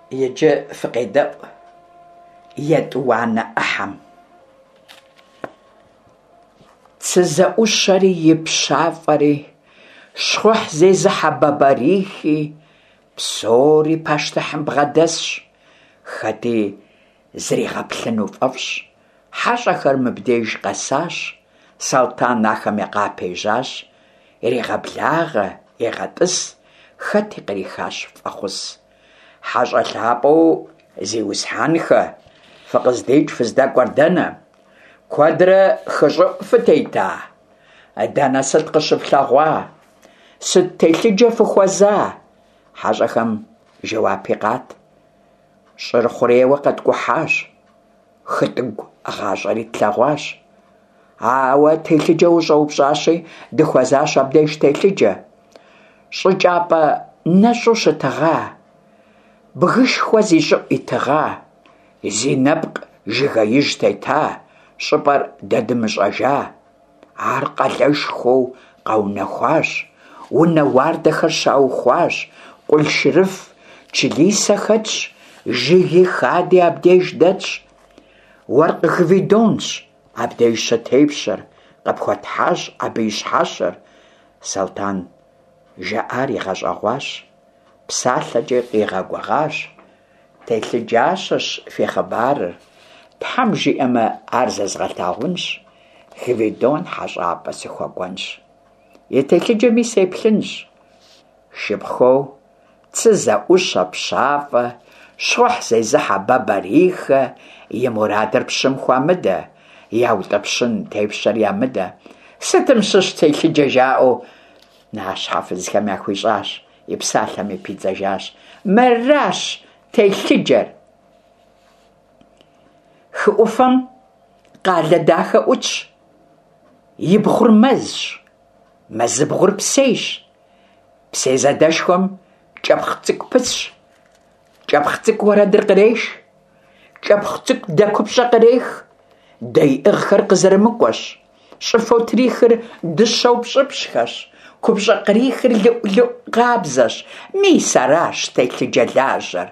Иджы фыкъедэӏу етӏуанэ ӏыхьэм. Цы зэӏущэри и пщафӏэри, щхъухь зезыхьэ Бабарихи, псори пащтыхьым бгъэдэсщ, хэти зригъэплъыну фӏэфӏщ. Хьэщӏэхэр мыбдеж къэсащ, Салтан ахэм къапежьащ, ирегъэблагъэ, егъэтӏыс, хэти кърихащ фӏэхъус. Хьэщӏэ лъапӏэу зиусхьэнхэ, фыкъыздикӏ фыздэкӏуэр дэнэ? Куэдрэ хы щӏыӏу фытета? Дэнэ сыт къыщыфлъэгъуа? Сыт телъыджэ фыхуэза? Хьэщӏэхэм жэуапи къат. Щӏыр хъурейуэ къэткӏухьащ, хытӏыгу гъащӏэри тлъэгъуащ. Ауэ телъыджэ ущӏэупщӏащи, дыхуэзащ абдеж телъыджэ. Щӏы кӏапэ нэщӏу щытыгъа, бгышхуэ зи щӏыӏу итыгъа, зи нэпкъ жыгеижь тета, щӏыпӏэр дэ дымыщӏэжа. Ар къалэшхуэу къэунэхуащ, унэ уардэхэр щаухуащ, къулъшырыф, чылисэ хэтщ, жыги хади абдеж дэтщ. Уэркъ Гвидонщ абдеж щытепщэр, къыпхуэтхьащ абы и щхьэщэр. Салтан жаӏар игъэщӏэгъуащ, псалъэкӏи къигъэгугъащ. Телъыджащэщ фи хъыбарыр, Тхьэм жиӏэмэ, ар зэзгъэлъагъунщ, Гвидон хьэщӏапӏэ сыхуэкӏуэнщ. И телъыджэми сеплъынщ. Шыпхъухэу цы зэӏущэ пщафӏэ, щхъухь зезыхьэ Бабарихэ и мурадыр пщым хуамыдэ, яутӏыпщын тепщэр ямыдэ. Сытым щыщ телъыджэ жаӏэу нащхьэ фызхэм яхуищӏащ. И псалъэми пидзэжащ, Мыращ телъыджэр! Хы ӏуфэм къалэ дахэ ӏутщ, и бгъур мэзщ, мэзыбгъур псейщ. Псей задэшхуэм кӏэпхъ цӏыкӏу пысщ, кӏэпхъ цӏыкӏу уэрэдыр къреш, кӏэпхъ цӏыкӏу дэ купщӏэ кърех, дэ иӏыгъхэр къызэрымыкӏуэщ. Щӏыфэу трихыр дыщэу пщӏыпщӏхэщ, купщӏэ кърихыр лыӏу-лыӏу къабзэщ. Мис аращ телъыджэлажьэр.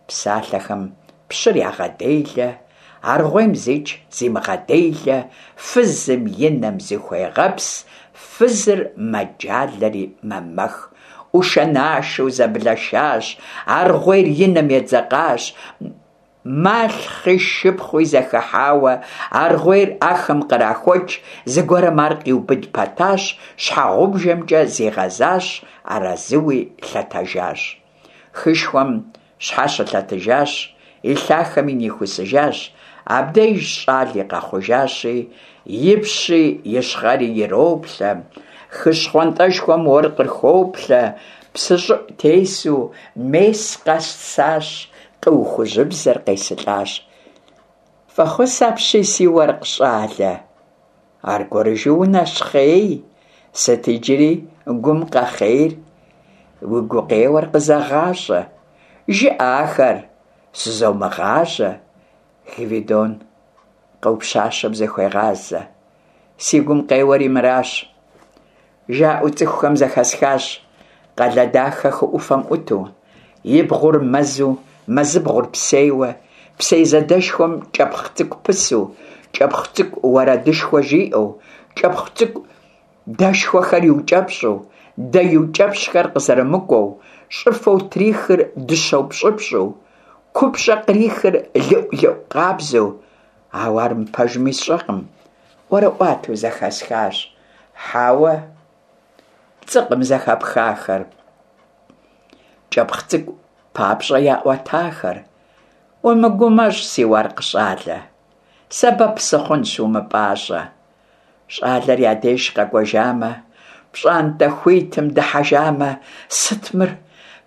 Псалъэхэм пщыр ягъэделэ, аргъуейм зикӏ зимыгъэделэ, фызым и нэм зыхуегъэпс, фызыр мэджалэри мэмэх. ӏушэ-нашэу зэблэшащ, аргъуейр и нэм едзэкъащ. Малъхъи шыпхъуи зэхыхьауэ, аргъуейр ахэм кърахуэкӏ, зыгуэрым ар къиубыд пэтащ, щхьэгъубжэмкӏэ зигъэзащ, арэзыуи лъэтэжащ. Хышхуэм щхьэщылъэтыжащ, и лъахэми нихусыжащ, абдеж щӏали къэхъужащи, и пщи и щхъэри ироплъэ, хы щхъуантӏэшхуэм уэркъыр хоплъэ, псы щӏыӏу тесу, мес къэсащ, Къыу хужьыбзэр къесылӏащ. Фӏэхъус апщий, си уэркъ щӏалэ! Аргуэрыжу унэщхъей, сыт иджыри гум къэхъейр? Уи гукъеуэр къызэгъащӏэ, жыӏэ ахэр, сызомыгъажьэ. Гвидон къыу пщащэм зыхуегъазэ. Си гум къеуэри мыращ. Жаӏэу цӏыхухэм зэхэсхащ, къалэ дахэ хы ӏуфэм ӏуту, и бгъур мэзу, мэзыбгъур псейуэ, псей задэшхуэм кӏэпхъ цӏыкӏу пысу, кӏэпхъ цӏыкӏу уэрэдышхуэ жиӏэу, кӏэпхъ цӏыкӏу дэшхуэхэр иукӏэпщӏу, дэ иукӏэпщӏхэр къызэрымыкӏуэу, щӏыфэу трихыр дыщэу пщӏыпщӏу, купщӏэ кърихыр лыӏу-лыӏу къабзэу, ауэ ар мыпэжми сщӏэкъым. ӏуэрыӏуатэу зэхэсхащ. Хьэуэ, пцӏыкъым зэхэпхахэр. Кӏэпхъ цӏыкӏу папщӏэ яӏуэтахэр. Умыгумэщӏ, си уэркъ щӏалэ. Сэбэп сыхъунщ, умыпӏащӏэ. Щӏалэр я деж къэкӏуэжамэ, пщӏантӏэ хуитым дыхьэжамэ, сыт мыр?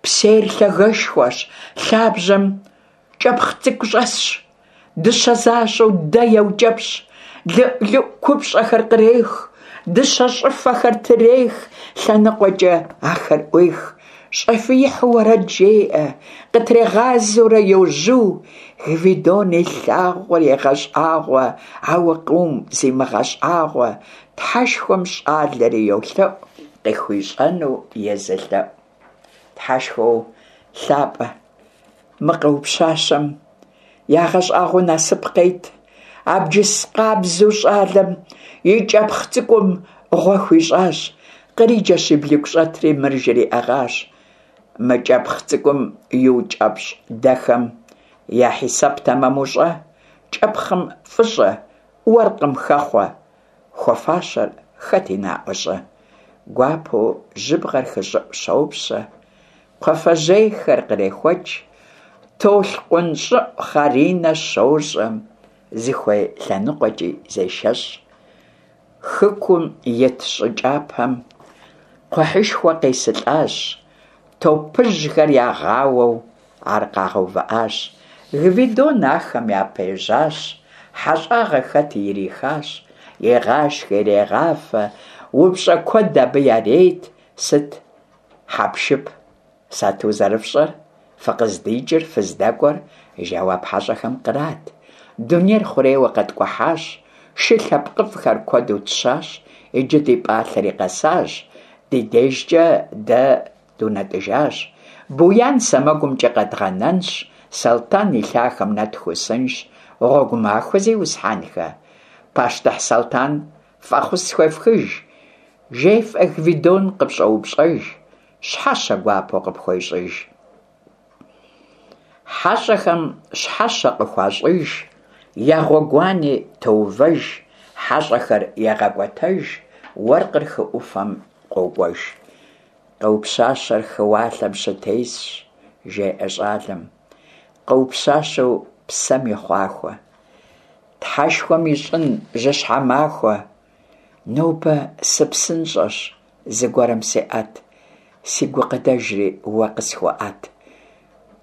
Псейр лъагэшхуэщ, лъабжьэм кӏэпхъ цӏыкӏу щӏэсщ. Дыщэ защӏэу дэ еукӏэпщӏ, лыӏу-лыӏу купщӏэхэр кърех, дыщэ щӏыфэхэр трех, лъэныкъуэкӏэ ахэр ӏуех. Щӏэфиихьу уэрэд жеӏэ, къытрегъазэурэ йожьу, Гвидон и лъагъуэр егъэщӏагъуэ, ауэ къыум зимыгъэщӏагъуэ, Тхьэшхуэм щӏалэри йолъэӏу, къыхуищӏэну езы лъэӏу. Тхьэшхуэу лъапӏэ. Мы къыу пщащэм ягъэщӏагъуэу насып къет. Абджыс къабзэу щӏалэм и кӏэпхъ цӏыкӏум гъуэ хуищӏащ. Къриджэщ и блыгущӏэтри мыр жриӏэгъащ. Мы кӏэпхъ цӏыкӏум иукӏэпщӏ дэхэм я хьисэп тэмэму щӏэ, кӏэпхъым фӏыщӏэ, уэркъым хэхъуэ, хуэфащэр хэти наӏуэ щӏы. Гуапэу жьыбгъэр хы щӏыӏу щопщэ, кхъуафэжьейхэр кърехуэкӏ, толъкъун щӏыӏу хъаринэ щощӏэ, зыхуей лъэныкъуэкӏи зешэщӏ. Хыкум ит щӏы кӏапэм кхъухьышхуэ къесылӏащ, топыжьхэр ягъауэу ар къагъэувыӏащ. Гвидон ахэм япежьащ, хьэщӏагъэ хэти ирихащ, егъашхэ, ирегъафэ, упщӏэ куэд абы ярет, сыт хьэпшып Сату зэрыфщӏэр, фыкъыздикӏыр, фыздэкӏуэр, жэуап хьэщӏэхэм кърат. Дунейр хъурейуэ къэткӏухьащ, шы лъэпкъыфӏхэр куэду тщащ, иджы ди пӏалъэри къэсащ, ди дежкӏэ дэ дунэтӏыжащ. Буян сэмэгумкӏэ къэдгъэнэнщ, Салтан и лъахэм нэтхусынщ. Гъуэгу махуэ, зиусхьэнхэ! Пащтыхь Салтан фӏэхъус схуефхыж, жефӏэ Гвидон къыпщӏоупщӏэж. Щхьэщэ гуапэу къыпхуещӏыж. Хьэщӏэхэм щхьэщэ къыхуащӏыж, я гъуэгуани тоувэж, хьэщӏэхэр егъэкӏуэтэж, уэркъыр хы ӏуфэм къокӏуэж. Къыу пщащэр хы уалъэм щытесщ, жеӏэ щӏалэм. Къыу пщащэу псэм и хъуахуэ. Тхьэшхуэм ищӏын жьыщхьэ махуэ. Нобэ сыпсынщӏэщ, Зыгуэрым сеӏэт, си гукъыдэжри уэ къысхуэӏэт.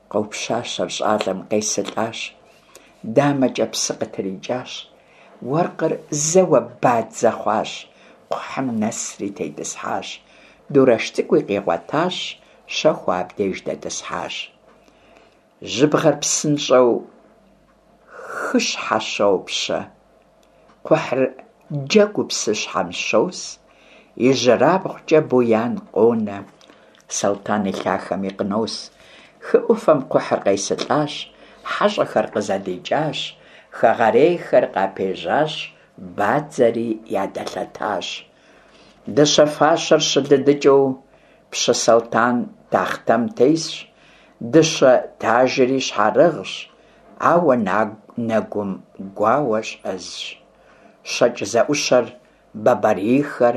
Къыу пщащэр щӏалэм къесылӏащ, дамэкӏэ псы къытрикӏащ. Уэркъыр зэуэ бадзэ хъуащ, кхъухьым нэсри тетӏысхьащ. Дурэш цӏыкӏуи къигъуэтащ, щэхуу абдеж дэтӏысхьащ. Жьыбгъэр псынщӏэу хыщхьэ щопщэ. Кхъухьыр джэгуу псыщхьэм щос, ижьырабгъукӏэ Буян къонэ, Салтан и лъахэми къынос. Хы ӏуфэм кхъухьыр къесылӏащ, хьэщӏэхэр къызэдикӏащ, хэгъэрейхэр къапежьащ, бадзэри ядэлъэтащ. Дыщэ фащэр щылыдыкӏыу пщы Салтан тахътэм тесщ, дыщэ тажри щхьэрыгъщ, ауэ нэгум гуауэ щӏэзщ. Щэкӏ зэӏущэр, бабарихэр,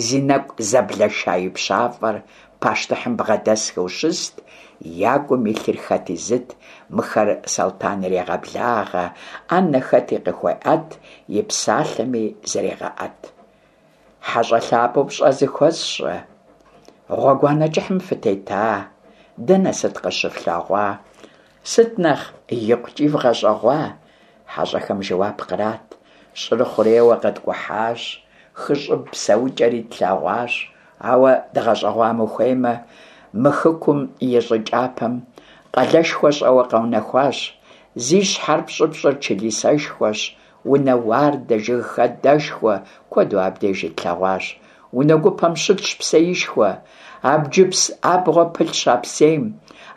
зи нэкӏу зэблэша и пщафӏэр пащтыхьым бгъэдэсхэу щыст, я гум илъыр хэти зыт, мыхэр Салтан ирегъэблагъэ, ӏэнэ хэти къыхуеӏэт, и псалъэми зрегъэӏэт. Хьэщӏэ лъапӏэу пщӏэ зыхуэсщӏэ, гъуэгуанэ кӏыхьым фытета, дэнэ сыт къыщыфлъэгъуа, сыт нэхъ икъукӏи вгъэщӏэгъуа? Хьэщӏэхэм жэуап кърат, щӏыр хъурейуэ къэткӏухьащ, хы щӏыб псэукӏэри тлъэгъуащ, ауэ дгъэщӏэгъуам ухуеймэ, мы хыкум и щӏы кӏапэм къалэшхуэ щӏэуэ къэунэхуащ, зи щхьэр пщӏыпщӏыр чылисэшхуэщ, Унэ уардэ, жыг хадэшхуэ куэду абдеж итлъэгъуащ. Унэ гупэм щытщ псеишхуэ. Абджыпс абгъуэ пылъщ а псейм.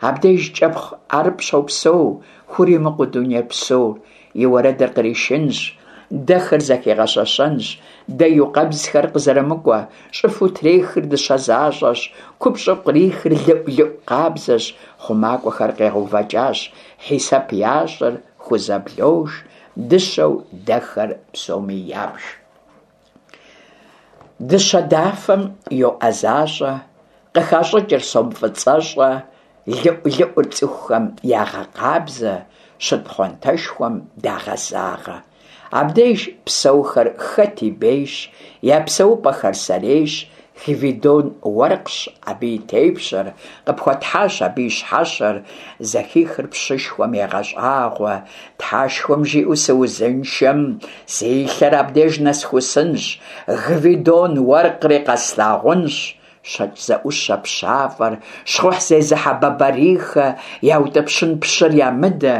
Абдеж кӏэпхъ ӏэрыпӏ щопсэу, хуримыкъуу дуней псор. И уэрэдыр къришынщ, дэхэр зэхигъэщэщэнщ, дэ иукъэбзхэр къызэрымыкӏуэ, щӏыфэу трехыр дыщэ защӏэщ, купщӏэу кърихыр лыӏу-лыӏу къабзэщ, хъумакӏуэхэр къегъэувэкӏащ, хьисэп ящӏыр хузэблож, Дыщэу дэхэр псоми ябж. Дыщэ дафэм йоӏэзащӏэ, къыхащӏыкӏыр сом фӏыцӏэщӏэ, лыӏу-лыӏур цӏыхухэм ягъэкъабзэ, щыт пхъуантэшхуэм дагъэзагъэ. Абдеж псэухэр хэти бейщ, я псэупӏэхэр сэрейщ, Гвидон уэркъщ абы и тепщэр, къыпхуэтхьащ абы и щхьэщэр, зэхихыр пщышхуэм егъэщӏагъуэ, Тхьэшхуэм жиӏэу сыузыншэм, си лъэр абдеж нэсхусынщ, Гвидон уэркъри къэслъагъунщ. Щэкӏ зэӏущэ пщафӏэр, щхъухь зезыхьэ Бабарихэ, яутӏыпщын пщыр ямыдэ,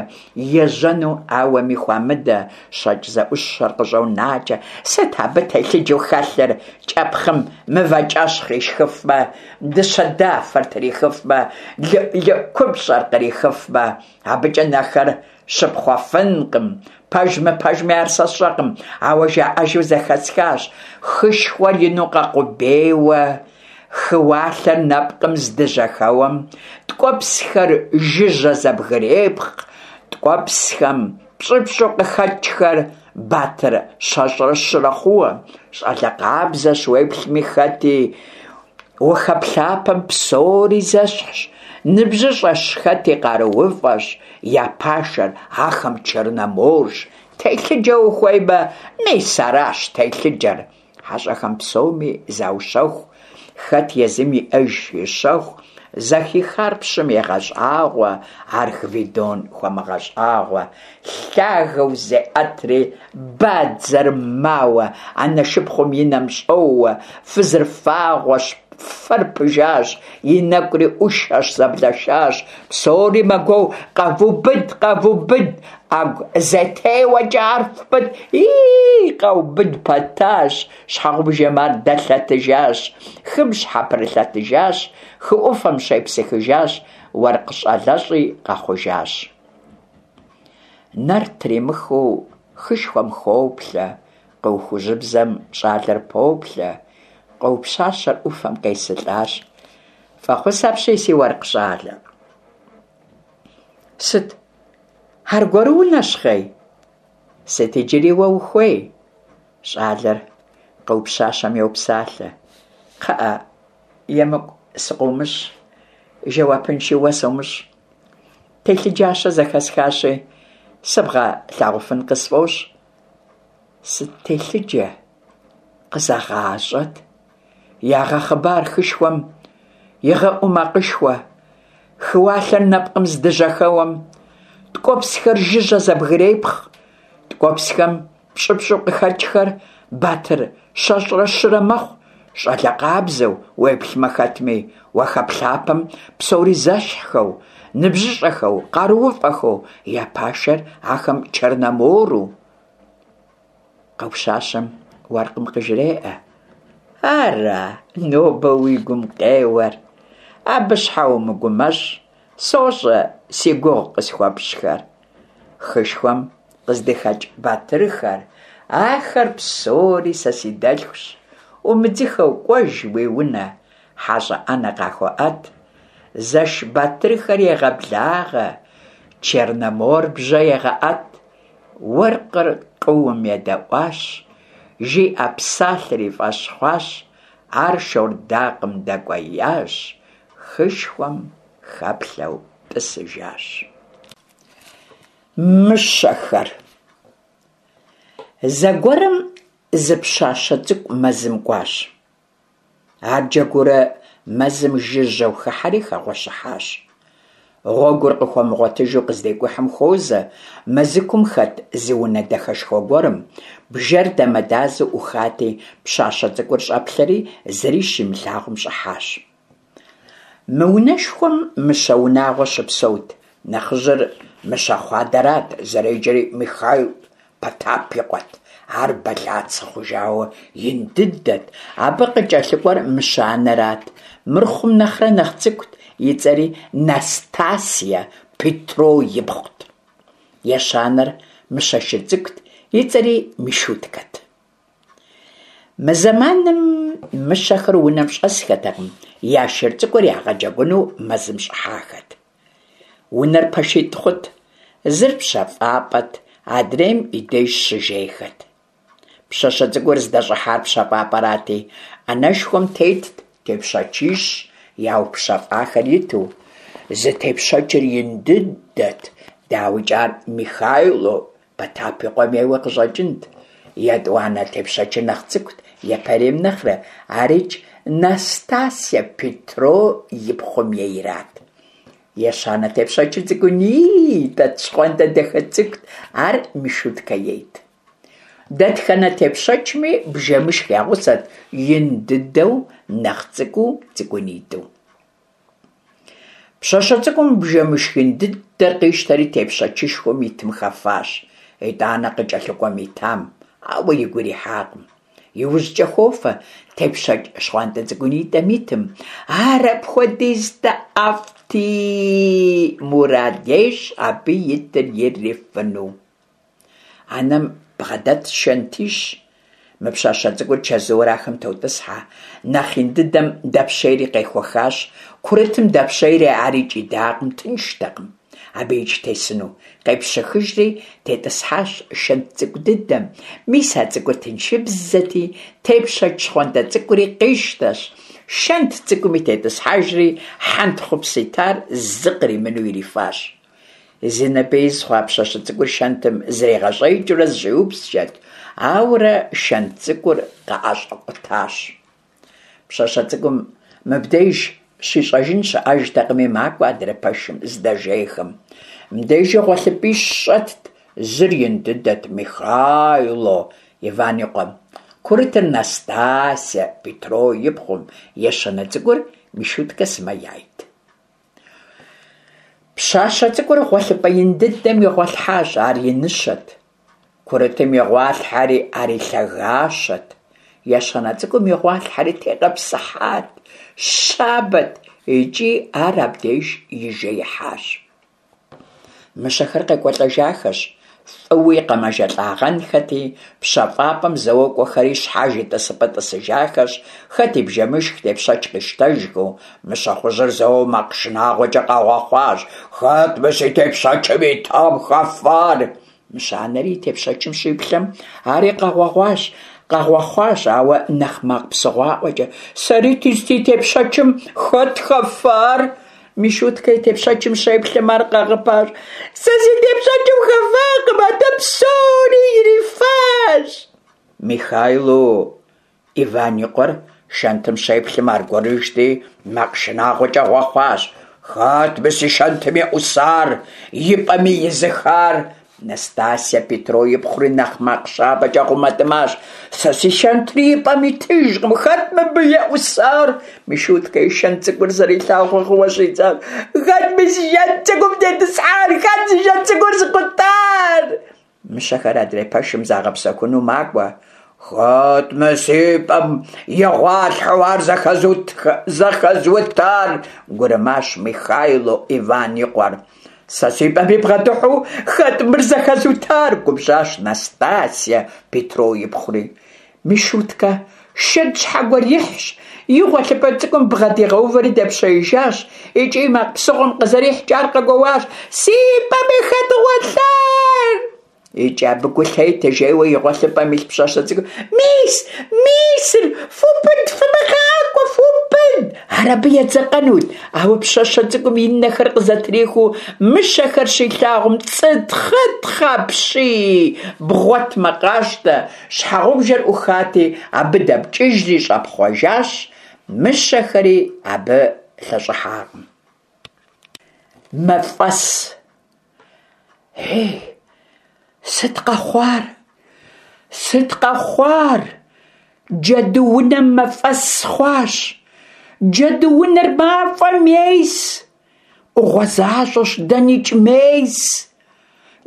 ежьэну ауэми хуамыдэ, щэкӏ зэӏущэр къыщӏонакӏэ, сыт абы телъыджэу хэлъыр, кӏэпхъым мывэкӏэщхъ ишхыфмэ, дыщэ дафэр трихыфмэ, лыӏу-лыӏу купщӏэр кърихыфмэ, абыкӏэ нэхэр щыпхъуэфынкъым. Пэж-мыпэжми ар сэ сщӏэкъым, ауэ жаӏэжу зэхэсхащ, хышхуэр ину къэкъубейуэ, хы уалъэр нэпкъым здыжьэхэуэм, ткӏуэпсхэр жыжьэ зэбгрепхъ, ткӏуэпсхэм пщӏыпщӏу къыхэкӏхэр батыр щэщӏрэ щырэ хъууэ, щӏалэ къабзэщ уеплъми хэти, Ухэплъапэм псори зэщхьщ, ныбжьыщӏэщ хэти къарууфӏэщ, я пашэр ахэм Черноморщ. Телъыджэ ухуеймэ, мис аращ телъыджэр. Хьэщӏэхэм псоми заущэху, хэт езым иӏэж и щэху, зэхихар пщым егъэщӏагъуэ, ар Гвидон хуэмыгъэщӏагъуэ. Лъагэу зеӏэтри, бадзэр мауэ, анэ шыпхъум и нэм щӏоуэ, фызыр фагъуэщ, фэр пыжащ, и нэкӏури ӏушэщ, зэблэшащ, псори мэгуоу, къэвубыд, къэвубыд, ӏэгу зэтеуэкӏэ ар фпӏыт, ии, къаубыд пэтащ, щхьэгъубжэм ар дэлъэтыжащ, хым щхьэпрылъэтыжащ, хы ӏуфэм щепсыхыжащ, уэркъ щӏалэщӏи къэхъужащ. Нэр тримыхыу хышхуэм хоплъэ, къыу хужьыбзэм щӏалэр поплъэ, къыу пщащэр ӏуфэм къесылӏащ. Фӏэхъус апщий, си уэркъ щӏалэ. Сыт, аргуэру унэщхъей? Сыт иджыри уэ ухуей? Щӏалэр къыу пщащэм йопсалъэ. Кхъыӏэ, емыкӏу сыкъыумыщӏ, жэуапынши уэ сомыщӏ. Телъыджащэ зэхэсхащи, сыбгъэлъагъуфын къысфӏощӏ. Сыт телъыджэ? Къызэгъащӏэт. Ягъэхъыбар хышхуэм игъэӏуу макъышхуэ. Хы уалъэр нэпкъым здыжьэхэуэм, ткӏуэпсхэр жыжьэ зэбгрепхъ. Ткӏуэпсхэм пщӏыпщӏу къыхэкӏхэр батыр щэщӏрэ щырэ мэхъу, щӏалэ къабзэу, уеплъмэ хэтми, уахэплъапэм псори зэщхьхэу, ныбжьыщӏэхэу, къарууфӏэхэу, я пашэр ахэм Черномору. Къыу пщащэм уэркъым къыжреӏэ. Ара, нобэ уи гум къеуэр? Абы щхьэ умыгумэщӏ, сощӏэ си гугъу къысхуэпщӏхэр. Хышхуэм къыздыхэкӏ батырхэр, ахэр псори сэ си дэлъхущ. Умыдзыхэу кӏуэж уи унэ, хьэщӏэ ӏэнэ къахуэӏэт. Зэш батырхэр егъэблагъэ, Черномор бжьэ егъэӏэт. Уэркъыр къыум едэӏуащ, жиӏэ псалъэр и фӏэщ хъуащ, ар шордакъым дэкӏуеящ, хышхуэм хэплъэу тӏысыжащ. Мыщэхэр. Зэгуэрым зы пщащэ цӏыкӏу мэзым кӏуащ. Ар джэгуурэ мэзым жыжьэу хыхьэри хэгъуэщыхьащ. Гъуэгур къыхуэмыгъуэтыжу къыздекӏухьым хуозэ мэзыкум хэт зы унэ дахэшхуэ гуэрым, бжэр дамэдазэу ӏухати, пщащэ цӏыкӏур щӏэплъэри зыри щимылъагъум щӏыхьащ. Мы унэшхуэм мыщэ унагъуэ щыпсэут, нэхъыжьыр мыщэхъу адэрат, зэреджэри Михаил Потап и къуэт. Ар бэлацэ хъужауэ ин дыдэт. Абы къыкӏэлъыкӏуэр мыщэ анэрат. Мыр хъум нэхърэ нэхъ цӏыкӏут, и цӏэри Настасья Петро ипхъут. Ещанэр мыщэ шыр цӏыкӏут, и цӏэри Мишуткэт. Мы зэманым мыщэхэр унэм щӏэсхэтэкъым, я шыр цӏыкӏур ягъэджэгуну мэзым щӏыхьахэт. Унэр пэшитӏ хъут, зыр пщэфӏапӏэт, адрейм и деж щыжейхэт. Пщащэ цӏыкӏур здэщӏыхьар пщэфӏапӏэрати, ӏэнэшхуэм тетт тепщэчищ яупщэфӏахэр иту. Зы тепщэчыр ин дыдэт, дауикӏ ар Михайло Потап и къуэм ейуэ къыщӏэкӏынт. Етӏуанэ тепщэчыр нэхъ цӏыкӏут япэрейм нэхърэ, арикӏ Настасья Петро и пхъум ейрат. Ещанэ тепщэчыр цӏыкӏунитӏэт, щхъуантӏэ дахэ цӏыкӏут, ар Мишуткэ ейт. Дэтхэнэ тепщэчми бжэмышх я гъусэт, ин дыдэу, нэхъ цӏыкӏуу, цӏыкӏунитӏэу. Пщащэ цӏыкӏум бжэмышх ин дыдэр къищтэри тепщэчышхуэм итым хэфащ, итӏанэ къыкӏэлъыкӏуэм итам, ауэ игу ирихьакъым. Иужькӏэ хофэ тепщэч щхъуантӏэ цӏыкӏунитӏэм итым. Ар апхуэдизкӏэ ӏэфӏти, мурад ещӏ абы итыр ирифыну. Анэм бгъэдэтщ шэнтищ. Мы пщащэ цӏыкӏур чэзууэрэ ахэм тотӏысхьэ. Нэхъ ин дыдэм дэпщейри къехуэхащ, курытым дэпщейри арикӏ идакъым, тынштэкъым абыикӏ тесыну. Къепщэхыжри тетӏысхьащ шэнт цӏыкӏу дыдэм. Мис а цӏыкӏур тыншыбзэти, тепщэч щхъуантӏэ цӏыкӏури къищтэщ, шэнт цӏыкӏуми тетӏысхьэжри, хьэнтхъупс итар зы къримыну ирифащ. Зи ныбэ из хъуа пщащэ цӏыкӏур шэнтым зригъэщӏеикӏыурэ зыщӏиупскӏэрт, ауэрэ шэнт цӏыкӏур къыӏэщӏэкъутащ. Пщащэ цӏыкӏум мыбдеж щищӏэжын щыӏэжтэкъыми, макӏуэ адрей пэшым здэжейхэм. Мыбдежи гъуэлъыпӏищ щӏэтт, зыр ин дыдэт, Михайло Иван и къуэм, курытыр Настасья Петро и пхъум, ещанэ цӏыкӏур Мишуткэ сымэ яйт. Пщащэ цӏыкӏур гъуэлъыпӏэ ин дыдэм игъуэлъхьащ, ар иныщэт. Курытым игъуалъхьэри, ари лъагащэт. Ещанэ цӏыкӏум игъуалъхьэри тегъэпсыхьат, щабэт икӏи ар абдеж ижеихьащ. Мыщэхэр къекӏуэлӏэжахэщ, фӏыуи къэмэжэлӏагъэнхэти, пщэфӏапӏэм зэуэ кӏуэхэри щхьэж и тӏысыпӏэ тӏысыжахэщ, хэт и бжэмышх тепщэч къищтэжхэу. Мыщэхъужьыр зэуэ макъ шынагъуэкӏэ къэгъуэхъуащ: Хэт мы си тепщэчым итам хэфар? Мыщэ анэри и тепщэчым щиплъэм, ари къэгъуэгъуащ, къэгъуэхъуащ, ауэ нэхъ макъ псыгъуаӏуэкӏэ: Сэрити си тепщэчым хэт хэфар? Мишуткэ и тепщэчым щеплъым, ар къэгъыпащ: Сэ си тепщэчым хэфакъым, атӏэ псори ирифащ! Михайло Иван и къуэр шэнтым щеплъым аргуэрыжьти, макъ шынагъуэкӏэ гъуэхъуащ: Хэт мы си шэнтым еӏусар, и пӏэми изыхар? Настасья Петро и пхъури нэхъ макъ щабэкӏэ гъумэтӏымащ: Сэ си шэнтри и пӏэм итыжкъым, хэт мыбы еӏусар? Мишуткэ и шэнт цӏыкӏур зэрилъагъуу гъыуэ щӏидзащ: Хэт мы си шэнт цӏыкӏум тетӏысхьар? Хэт си шэнт цӏыкӏур зыкъутар? Мыщэхэр адрей пэшым загъэпсэхуну макӏуэ. Хэт мы си пӏэм игъуалъхьэу ар зэхэзутар? гурымащ Михайло Иван и къуэр. Сэ си пӏэми бгъэдыхьэу хэт мыр зэхэзутар? губжьащ Настасья Петро и пхъури. Мишуткэ шэнт щхьэгуэр ихьщ, и гъуэлъыпӏэ цӏыкӏум бгъэдигъэувэри дэпщеижащ, икӏи макъ псыгъуэм къызэрихькӏэ ар къэгуоуащ: Си пӏэми хэт гъуэлъар? Икӏи абы гу лъетэ жейуэ и гъуэлъыпӏэм илъ пщащэ цӏыкӏум: Мис, мисыр, фубыд, фымыгъакӏуэ, фубыд! Ар абы едзэкъэнут, ауэ пщащэ цӏыкӏум и нэхэр къызэтрихыу мыщэхэр щилъагъум, цӏытхъытхъ апщий, бгъуэтмэ къащтэ, Щхьэгъубжэр ӏухати, абы дэпкӏыжри щӏэпхъуэжащ, мыщэхэри абы лъэщӏыхьакъым. Мафӏэс. Ей, сыт къэхъуар? Сыт къэхъуар? Джэдуунэм мафӏэс хъуащ. Джэдуунэр мафӏэм ес. ӏугъуэ защӏэщ, дэнэкӏи мес.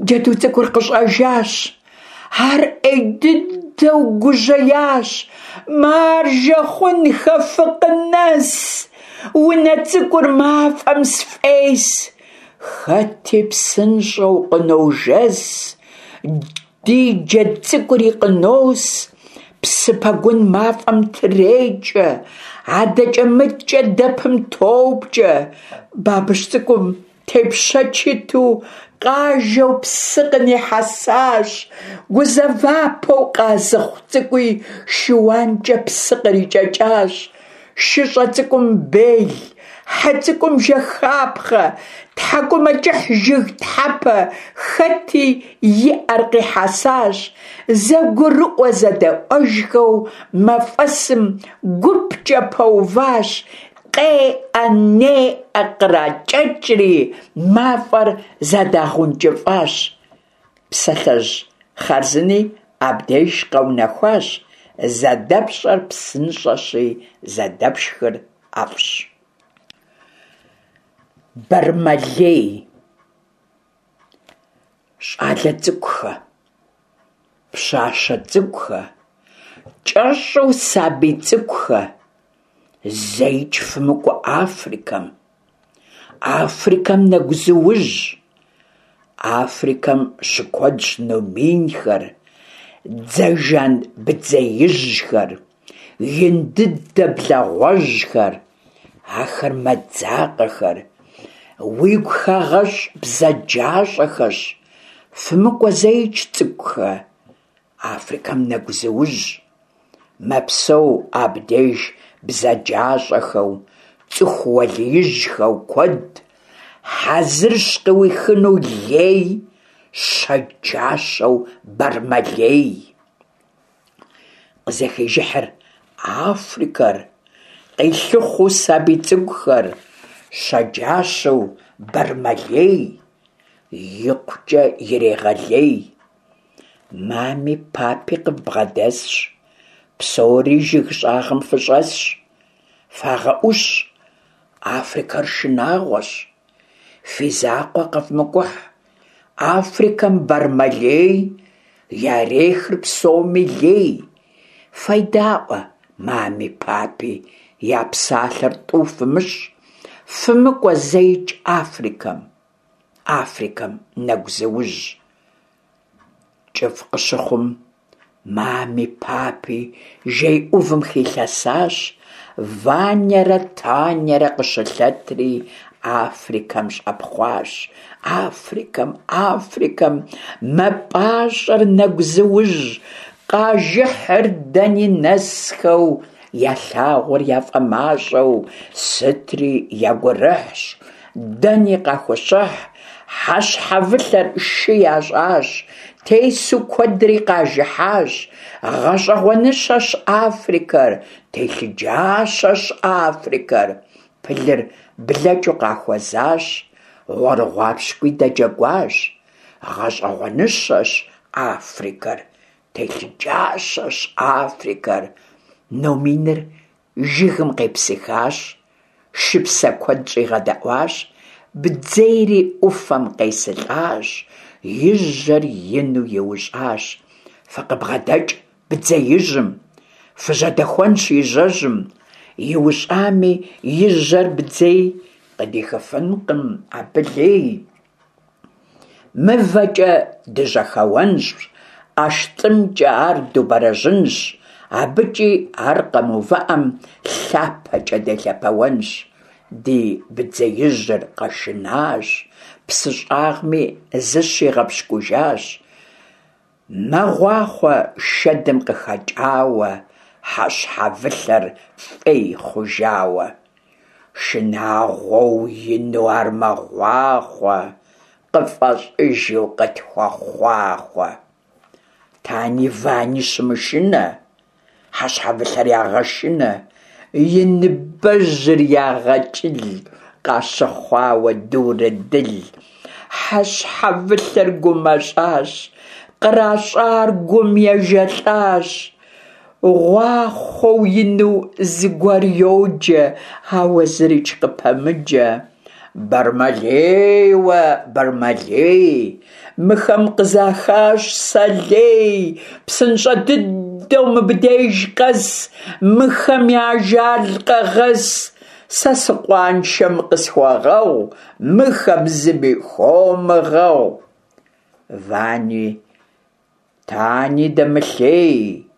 Джэду цӏыкӏур къыщӏэжащ. Ар ӏей дыдэу гужьеящ. Маржэ хъунхэ фыкъынэс! Унэ цӏыкӏур мафӏэм сфӏес! Хэти псынщӏэу къыножэс, ди джэд цӏыкӏури къынос. Псы пэгун мафӏэм трекӏэ, адэкӏэ-мыдкӏэ дэпым топкӏэ. Бабыщ цӏыкӏум тепщэч иту къажэу псы къынихьэсащ. Гузэвапэу къазыхъу цӏыкӏуи шыуанкӏэ псы кърикӏэкӏащ. Шыщӏэ цӏыкӏум бел, хьэ цӏыкӏум жэхапхъэ, тхьэкӏумэкӏыхь жыг тхьэпэ хэти и ӏэр къихьэсащ. Зэгурыӏуэ-зэдэӏуэжхэу мафӏэсым гупкӏэ пэуващ, къеӏэ-неӏэ къракӏэкӏри, мафӏэр зэдагъэункӏыфӏащ. Псалъэжь хъарзыни. Абдеж къэунэхуащ «Зэдэпщӏэр псынщӏэщи, зэдэпшхыр ӏэфӏщ». Бэрмэлей. Щӏалэ цӏыкӏухэ, пщащэ цӏыкӏухэ, кӏэщӏу сабий цӏыкӏухэ, зэикӏ фымыкӏуэ Африкэм. Африкэм нэгузыужь. Африкэм щыкуэдщ номинхэр, дзэжан бдзеижьхэр, ин дыдэ благъуэжьхэр, ахэр мэдзакъэхэр, уигу хагъэщӏ бзаджащӏэхэщ. Фымыкӏуэ зэикӏ, цӏыкӏухэ, Африкэм нэгузыужь. Мэпсэу абдеж бзаджащӏэхэу, цӏыху уэлиижьхэу куэд. Хьэзырщ къыуихыну лей, щэджащэу Бэрмэлей. Къызэхежыхьыр Африкэр, къилъыхъуэу сабий цӏыкӏухэр, щэджащэу Бэрмэлей, икъукӏэ ирегъэлей. Мами папи къывбгъэдэсщ, псори жыг щӏагъым фыщӏэсщ. Фагъэӏущ, Африкэр шынагъуэщ, фи закъуэ къэвмыкӏухь. Африкэм Бэрмэлей ярехыр псоми лей. Федаӏуэ мами папи, я псалъэр тӏу фымыщӏ, фымыкӏуэ зэикӏ Африкэм. Африкэм нэгузыужь. Кӏыфӏ къыщыхъум, мами папи жей ӏувым хилъэсащ, Ванярэ Танярэ къыщылъэтри Африкэм щӏэпхъуащ. Африкэм, Африкэм мэпӏащӏэр нэгузыужь, къажыхьыр дэни нэсхэу, ялъагъур яфӏэмащӏэу, сытри я гурыхьщ, дэни къахущыхь, хьэщхьэвылъэр шы ящӏащ, тесу куэдри къажыхьащ. Гъэщӏэгъуэныщэщ Африкэр, телъыджащэщ Африкэр. Пылыр блэкӏыу къахуэзащ, гъуэрыгъуапщкӏуи дэджэгуащ. Гъэщӏэгъуэныщэщ Африкэр, телъыджащэщ Африкэр. Номиныр жыгым къепсыхащ, шыпсэ куэд щӏигъэдэӏуащ, бдзейри ӏуфэм къесылӏащ, и жьэр ину иущӏащ. Фыкъыбгъэдэкӏ бдзеижьым, фыжьэдэхуэнщ и жьэжьым, иущӏами и жьэр бдзей, къыдихыфынкъым абы лей. Мывэкӏэ дыжьэхэуэнщ, ӏэштӏымкӏэ ар дубэрэжьынщ, абыкӏи ар къэмыувыӏэм лъапэкӏэ делъэпэуэнщ. Ди бдзеижьыр къэшынащ, псы щӏагъми зыщигъэпщкӏужащ. Мэгъуахъуэ шэдым къыхэкӏауэ, хьэщхьэвылъэр фӏей хъужауэ. Шынагъуэу ину ар мэгъуахъуэ, къыфӏэщӏыжу къытхуэхъуахъуэ. Тани Вани щымышынэ, хьэщхьэвылъэр ягъэшынэ, и ныбэжьыр ягъэкӏыл, къащыхъуауэ дурыдыл. Хьэщхьэвылъэр гумэщӏащ, къращӏар гум ежэлӏащ. Гъуахъуэу ину зыгуэр йоджэ, ауэ зырикӏ къыпэмыджэ. Бэрмэлейуэ, Бэрмэлей, мыхэм къызахащ сэ лей, псынщӏэ дыдэу мыбдеж къэс, мыхэм я ажал къэгъэс. Сэ сыкъуаншэм къысхуэгъэгъу, мыхэм зыми хуомыгъэгъу. Вани Тани дэмылъей,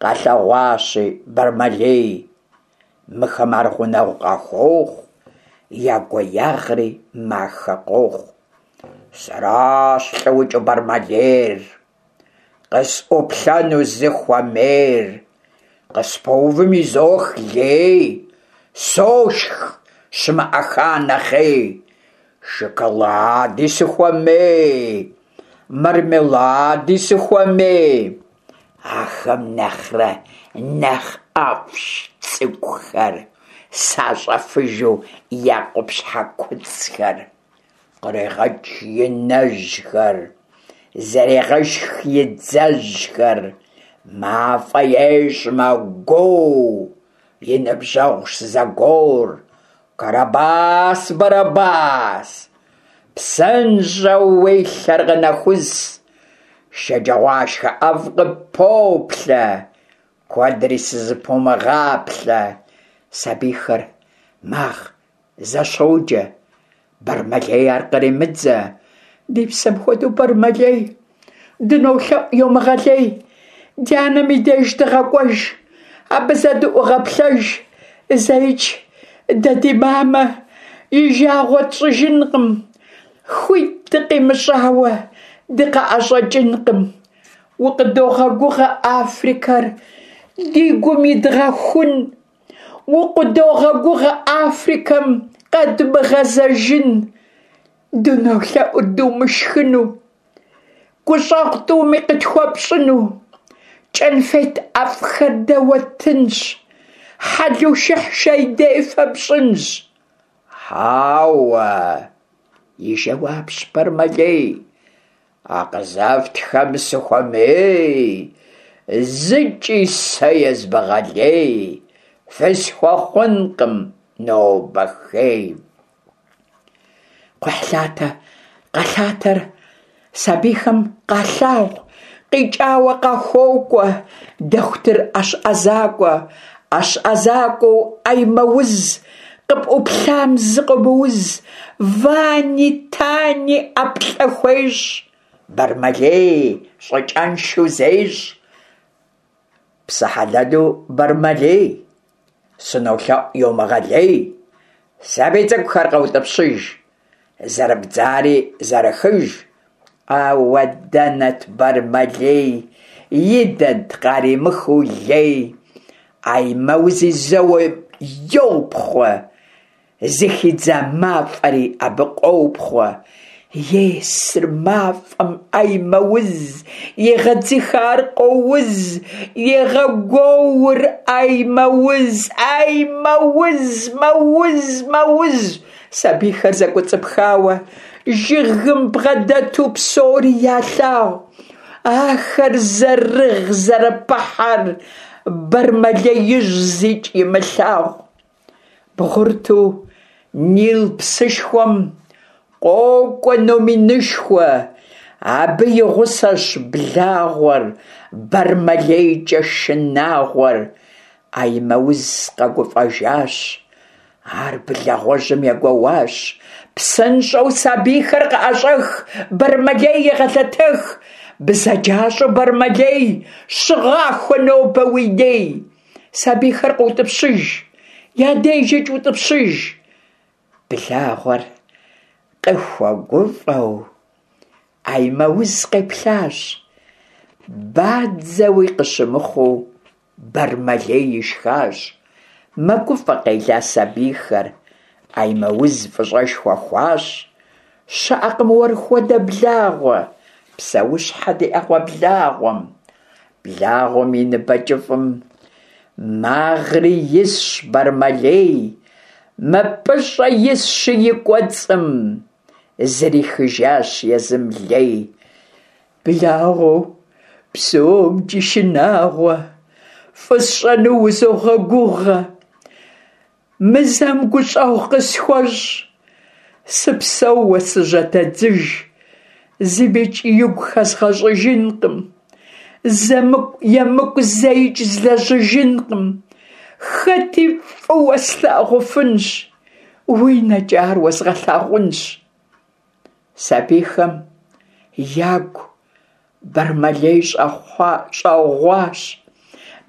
къалъэгъуащи Бэрмэлей. Мыхэм ар гъунэгъу къахуохъу, я гуеягъри махэ къохъу. Сэращ лӏыукӏыу Бэрмэлейр, къысӏуплъэну зы хуэмейр. Къыспэувым изох лей, сошх щымыӏэха нэхъей. Шоколади сыхуэмей, мармелади сыхуэмей. Ахэм нэхърэ нэхъ ӏэфӏщ цӏыкӏухэр, сащӏэфыжу я къупщхьэ куцӏхэр. Кърегъэкӏ и нэжьхэр. Зэрегъэшх и дзэжьхэр, мафӏэ ещӏ, мэгуоу, и ныбжьэгъущ зэгуор. Карабас, Барабас, псынщӏэу уи лъэр къынэхус, шэджагъуашхэ ӏэфӏ къыппоплъэ, куэдри сызыпумыгъаплъэ. Сабийхэр магъ, зэщоджэ, Бэрмэлей ар къремыдзэ. Ди псэм хуэдэу Бэрмэлей, дынолъэӏу йомыгъэлей, ди анэм и деж дыгъэкӏуэж, абы зэ дыӏугъэплъэж, зэикӏ дэ ди мамэ и жагъуэ тщӏыжынкъым, хуит дыкъимыщӏауэ дыкъыӏэщӏэкӏынкъым. Укъыдогъэгугъэ Африкэр ди гум идгъэхун. Укъыдогъэгугъэ Африкэм къэдмыгъэзэжын, дынолъэӏур думышхыну, гущӏэгъу тӏуми къытхуэпщӏыну, кӏэнфет ӏэфӏхэр дэ уэттынщ, хьэлушыхь шей дефэ пщӏынщ. Хьэуэ, и жэуапщ Бэрмэлей, а къызэфтхэм сыхуэмей, зыкӏи сэ езмыгъэлей, фысхуэхъункъым нобэ хей. Кхъухьлъатэ къэлъатэр сабийхэм къалъагъу, къикӏауэ къахуокӏуэ дохутыр ӏэщ ӏэзакӏуэ. ӏэщ ӏэзакӏуэу ӏэймэуз, къыпӏуплъам зыкъомыуз, Вани Тани ӏэплӏэ хуещӏ, Бэрмэлей щӏыкӏэншэу зещӏ. Псэ хьэлэлу Бэрмэлей, сынолъэӏу йомыгъэлей, сабий цӏыкӏухэр къэутӏыпщыж, зэрыбдзари зэрыхыж. Ауэ дэнэт Бэрмэлей, идэнт къаримыхыу лей, Ӏэймэузи зэуэ йопхъуэ, Зыхидза мафӏэри абы къопхъуэ. Есыр мафӏэм ӏэймэуз, егъэдзыхэ ар къоуз, егъэгуоур ӏэймэуз, ӏэймэуз, мэуз, мэуз. Сабийхэр зэкӏуэцӏыпхауэ, жыгым бгъэдэту псори ялъагъу. Ахэр зэрыгъ-зэрыпыхьэр Бэрмэлеижь зикӏ имылъагъу. Бгъурыту Нил псышхуэм къокӏуэ номинышхуэ, абы и гъусэщ благъуэр, Бэрмэлейкӏэ шынагъуэр. Ӏэймэуз къэгуфӏэжащ, ар благъуэжьым егуэуащ. Псынщӏэу сабийхэр къыӏэщӏэх, Бэрмэлей егъэлъэтэх. Бзаджащӏэу Бэрмэлей, щыгъахуэ нобэ уи ней. Сабийхэр къыутӏыпщыж, я дежкӏэ утӏыпщыж. Благъуэр къыхуэгуфӏэу Ӏэймэуз къеплъащ. Бадзэуи къыщымыхъуу Бэрмэлей ишхащ. Мэгуфӏэ къела сабийхэр, Ӏэймэуз фӏыщӏэшхуэ хуащӏ. Щыӏэкъым уэр хуэдэ благъуэ, псэущхьэ ди ӏэгъуэблагъуэм. Благъуэм и ныбэ кӏыфӏым магъри исщ Бэрмэлей, мыпӏыщӏэ исщи и кӏуэцӏым, зрихыжащ езым лей. Благъуэу псомкӏи шынагъуэ, фӏы сщӏэну узогъэгугъэ. Мы зэм гущӏэгъу къысхуэщӏ, сыпсэууэ сыжьэдэдзыж, зымикӏ игу хэзгъэщӏыжынкъым, зэмыкӏу емыкӏу зэикӏ злэжьыжынкъым, хэти фӏыуэ слъагъуфынщ, уи нэкӏэ ар уэзгъэлъагъунщ. Сабийхэм ягу Бэрмэлей щӏэгъуащ,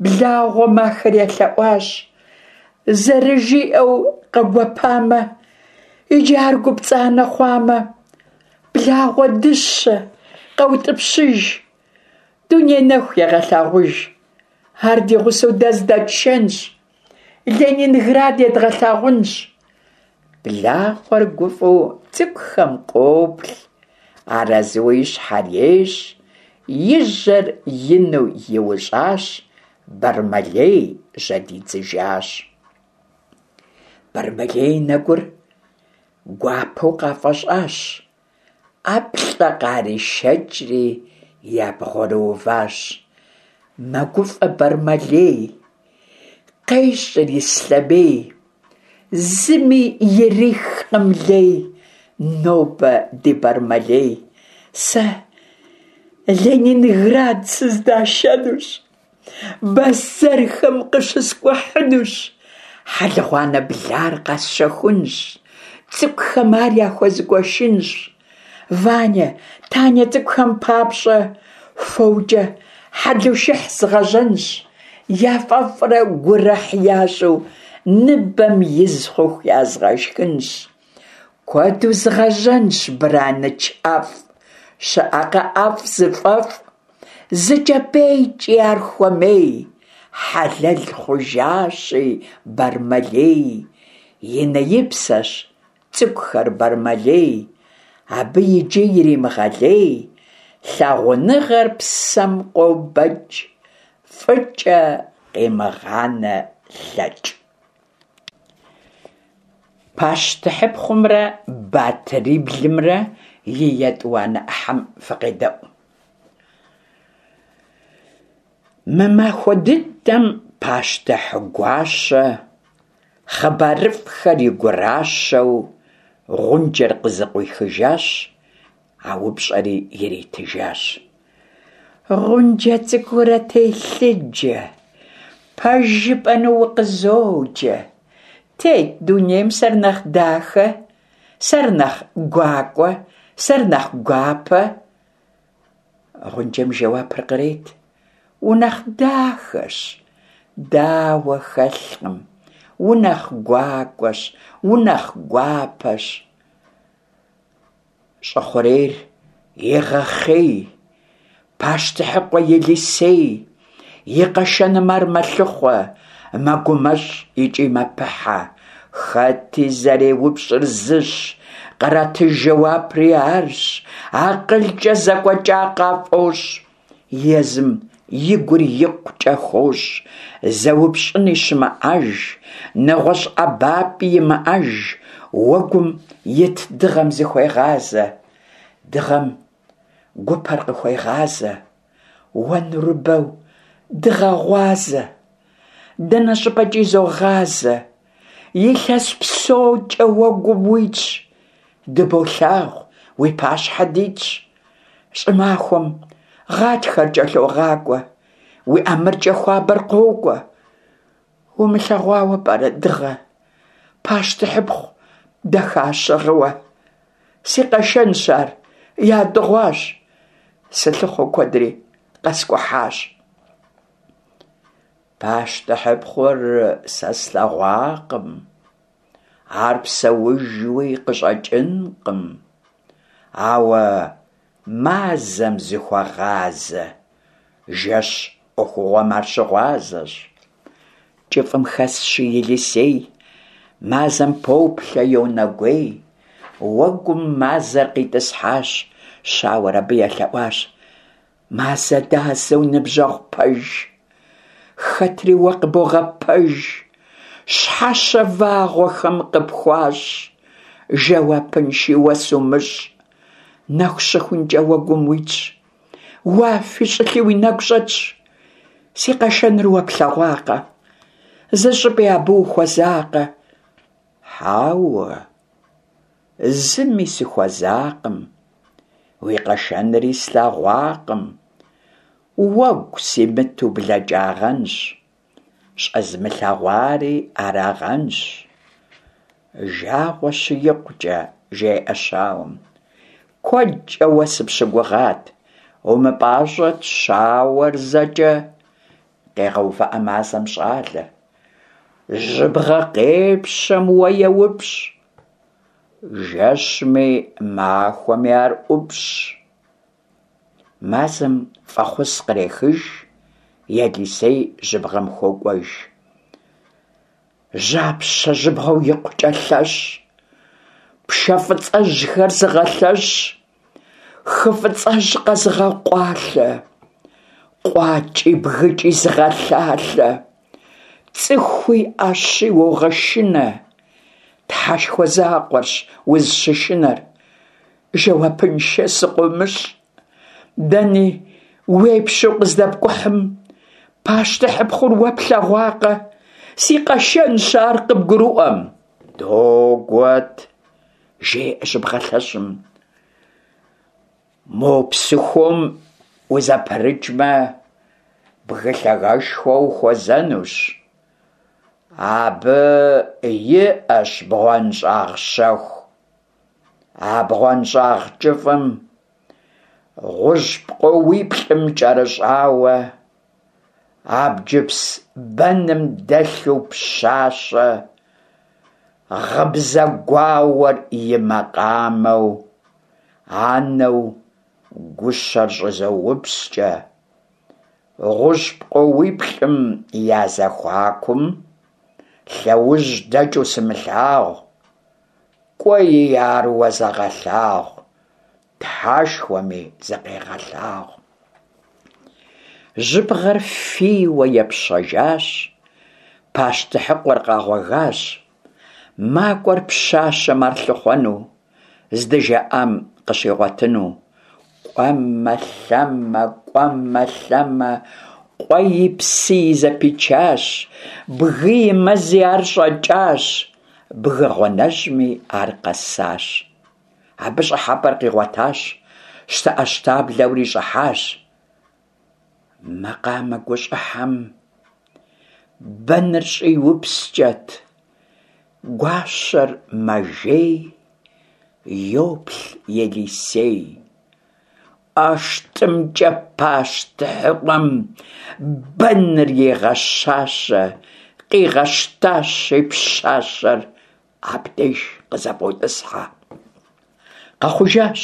благъуэм ахэр елъэӏуащ. Зэрыжиӏэу къэгуэпамэ, иджы ар гупцӏанэ хъуамэ, благъуэ дыщэ къэутӏыпщыж, дуней нэху егъэлъагъуж. Ар ди гъусэу дэ здэтшэнщ, Ленинград едгъэлъагъунщ. Благъуэр гуфӏэу цӏыкӏухэм къоплъ, арэзыуэ и щхьэр ещӏ, и жьэр ину иущӏащ, Бэрмэлей жьэдидзыжащ. Бэрмэлей и нэгур гуапэу къафӏэщӏащ. ӏэплӏэ къаришэкӏри, ябгъурыуващ. Мэгуфӏэ Бармалей, къещӏыр ислъэмей, зыми ирихкъым лей нобэ ди Бармалей. Сэ Ленинград сыздашэнущ, бэзэрхэм къыщыскӏухьынущ, хьэлыгъуанэ блар къэсщэхунщ, цӏыкӏухэм ар яхуэзгуэшынщ. Ваня, Таня цӏыкӏухэм папщӏэ фокӏэ хьэлушыхь згъэжьэнщ, яфӏэфӏрэ гурыхь ящӏу ныбэм из хъуху язгъэшхынщ. Куэду згъэжьэнщ браныч ӏэфӏ, щыӏэкъэ ӏэфӏ зыфӏэфӏ, зы кӏэпӏейкӏи ар хуэмей, хьэлэл хъужащи Бармалей, и нэ-и псэщ цӏыкӏухэр Бармалей, абы иджы иримыгъэлей, лъагъуныгъэр псэм къобэкӏ, фӏыкӏэ къимыгъанэ лъэкӏ. Пащтыхьыпхъумрэ батыриблымрэ и етӏуанэ ӏыхьэм фыкъедэӏу. Мы махуэ дыдэм пащтыхь гуащэ хъыбарыфӏхэр и гуращэу гъунджэр къызыкъуихыжащ, а упщӏэри иритыжащ. Гъунджэ цӏыкӏуурэ телъыджэ, пэж жыпӏэну укъызоджэ. Тет дунейм сэр нэхъ дахэ, сэр нэхъ гуакӏуэ, сэр нэхъ гуапэ? Гъунджэм жэуапыр кърет: Унэхъ дахэщ, дауэ хэлъкъым, унэхъ гуакӏуэщ, унэхъ гуапэщ. Щӏы хъурейр егъэхъей, пащтыхьыкъуэ Елисей, и къэшэным ар мэлъыхъуэ, мэгумэщӏ икӏи мэпыхьэ. Хэти зэреупщӏыр зыщ, къратыж жэуапри арщ, акъылкӏэ зэкӏуэкӏа къафӏощӏ. Езым и гур икъукӏэ хощӏ, зэупщӏыни щымыӏэж, нэгъуэщӏ ӏэбапӏи имыӏэж, уэгум ит дыгъэм зыхуегъазэ. Дыгъэм гупэр къыхуегъазэ. Уэ нурыбэу дыгъэ гъуазэ, дэнэ щӏыпӏэкӏи зогъазэ, илъэс псокӏэ уэгум уитщ, дыболъагъу, уи пащхьэ дитщ. Щӏымахуэм гъатхэр кӏэлъогъакӏуэ, уи ӏэмыркӏэ хуабэр къокӏуэ. Умылъэгъуауэ пӏэрэ дыгъэ, пащтыхьыпхъу дахащэ гъыуэ? Си къэшэнщ ар, ядыгъуащ, сылъыхъуэу куэдри къэскӏухьащ. Пащтыхьыпхъур сэ слъэгъуакъым, ар псэужуи къыщӏэкӏынкъым, ауэ мазэм зыхуэгъазэ, жэщ ӏуэхугъуэм ар щыгъуазэщ. Кӏыфӏым хэсщи Елисей, мазэм поплъэ, йонэгуей. Уэгум мазэр къитӏысхьащ, щауэр абы елъэӏуащ. Мазэ дазэу ныбжьэгъу пэж, хэтри уэ къыбогъэпэж, щхьэщэ вагъуэхэм къыпхуащӏ, жэуапынши уэ сумыщӏ. Нэху щыхункӏэ уэгум уитщ, уафи щӏылъи уи нэгу щӏэтщ. Си къэшэныр уэ плъэгъуакъэ? Зы щӏыпӏи абы ухуэзакъэ? Хьэуэ, зыми сыхуэзакъым, уи къэшэнри слъэгъуакъым. Уэгу симыту блэкӏагъэнщ, щӏэзмылъэгъуари арагъэнщ. Жагъуэщи икъукӏэ, жеӏэ щауэм. Куэдкӏэ уэ сыпщыгугъат, умыпӏащӏэт щауэр зэкӏэ, къегъэувыӏэ мазэм щӏалэр. Жьыбгъэ къепщэм уэ еупщӏ, жэщми махуэми ар ӏупщӏ. Мазэм фӏэхъус кърехыж, Елисей жьыбгъэм хуокӏуэж. Жьапщэ жьыбгъэу икъукӏэ лъэщ, пшэ фӏыцӏэжьхэр зыгъэлъэщ, хы фӏыцӏэжь къэзыгъэкъуалъэ, къуакӏи бгыкӏи зыгъэлъалъэ, цӏыхуи ӏэщи уогъэшынэ, Тхьэшхуэ закъуэрщ узыщышынэр. Жэуапыншэ сыкъыумыщӏ. Дэни уепщэу къыздэпкӏухьым, пащтыхьыпхъур уэ плъэгъуакъэ? Си къэшэнщ ар къыбгурыӏуэм. Догуэт, жеӏэ жьыбгъэ лъэщым. Мо псыхуом узэпрыкӏмэ, бгы лъагэшхуэ ухуэзэнущ. Абы иӏэщ бгъуэнщӏагъ щэху. А бгъуэнщӏагъ кӏыфӏым гъущӏ пкъоуиплӏым кӏэрыщӏауэ, абджыпс бэным дэлъу пщащэ, гъыбзэ гуауэр и макъамэу, анэу гущэр щӏызоупскӏэ. Гъущӏ пкъоуиплӏым я зэхуакум лъэужь дэкӏыу сымылъагъу. Кӏуэи ар уэ зэгъэлъагъу, Тхьэшхуэми зыкъегъэлъагъу. Жьыбгъэр фийуэ епщэжащ, пащтыхьыкъуэр къэгъуэгащ. Макӏуэр пщащэм ар лъыхъуэну, здыжаӏам къыщигъуэтыну. Кӏуэмэ-лъэмэ, кӏуэмэ-лъэмэ, къуэи псыи зэпичащ, бгыи мэзи ар щӏэкӏащ. Бгы гъуанэжьми ар къэсащ. Абы щӏыхьэпӏэр къигъуэтащ, щтэӏэщтаблэури щӏыхьащ. Макъамэ гущӏыхьэм бэныр щӏиупскӏэт, гуащэр мэжей, йоплъ Елисей. ӏэштӏымкӏэ пащтыхьыкъуэм бэныр егъэщащэ, къигъэщтащи пщащэр абдеж къызэфӏотӏысхьэ. Къэхъужащ,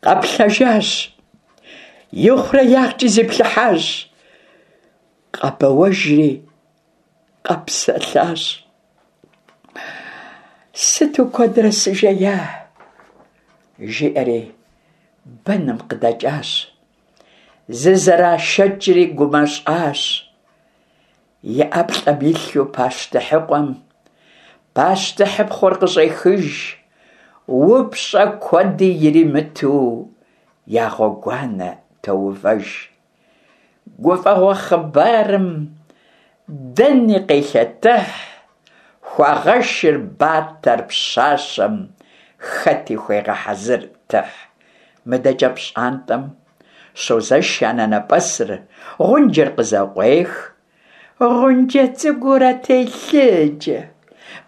къэплъэжащ, ихъуреягъкӏи зиплъыхьащ, къэбэуэжри къэпсэлъащ. Сыту куэдрэ сыжея? жиӏэри бэным къыдэкӏащ. Зызэрашэкӏри гумэщӏащ. И ӏэплӏэм илъу пащтыхьыкъуэм пащтыхьыпхъур къыщӏехыж, упщӏэ куэди иримыту я гъуэгуанэ тоувэж. Гуфӏэгъуэ хъыбарым дэни къелъэтыхь, хуагъэшыр батэр пщащэм, хэти хуегъэхьэзыр тыхь. Мыдэкӏэ пщӏантӏэм щозэш анэнэпӏэсыр, гъунджэр къызэкъуех. Гъунджэ цӏыкӏуурэ телъыджэ,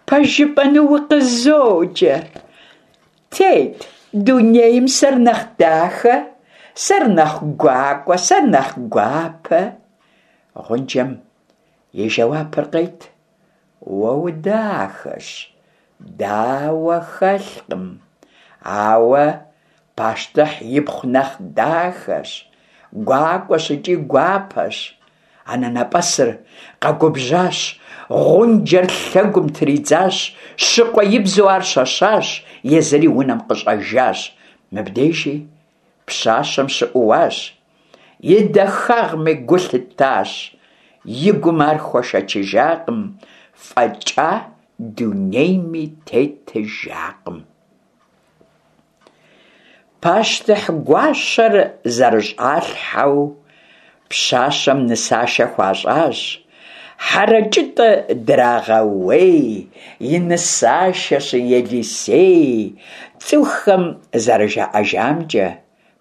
пэж жыпӏэну укъызоджэ. Тет дунейм сэр нэхъ дахэ, сэр нэхъ гуакӏуэ, сэр нэхъ гуапэ. Гъунджэм и жэуапыр къет: Уэ удахэщ, дауэ хэлъкъым, ауэ пащтыхь ипхъу нэхъ дахэщ, гуакӏуэщ икӏи гуапэщ. Анэнэпӏэсыр къэгубжьащ, гъунджэр лъэгум тридзащ, щыкъуеибзэу ар щэщащ, езыри унэм къыщӏэжащ. Мыбдежи пщащэм щыӏууащ, и дахагъми гу лъытащ, и гум ар хуэшэчыжакъым, фӏэкӏа дунейми тетыжакъым. Пащтыхь гуащэр зэрыщӏалъхьэу пщащэм нысашэ хуащӏащ. Хьэрэкӏытӏэ драгъэуей, и нысашэщи Елисей. Цӏыхухэм зэрыжаӏэжамкӏэ,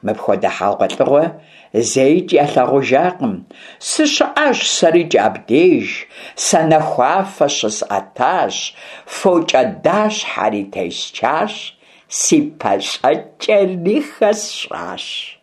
мыпхуэдэ хьэгъуэлӏыгъуэ зэикӏ ялъагъужакъым. Сыщыӏащ сэрикӏ абдеж, санэхуафэ щысӏэтащ, фокӏэдащхьэри тесчащ, си пащӏэкӏэри хэсщӏащ.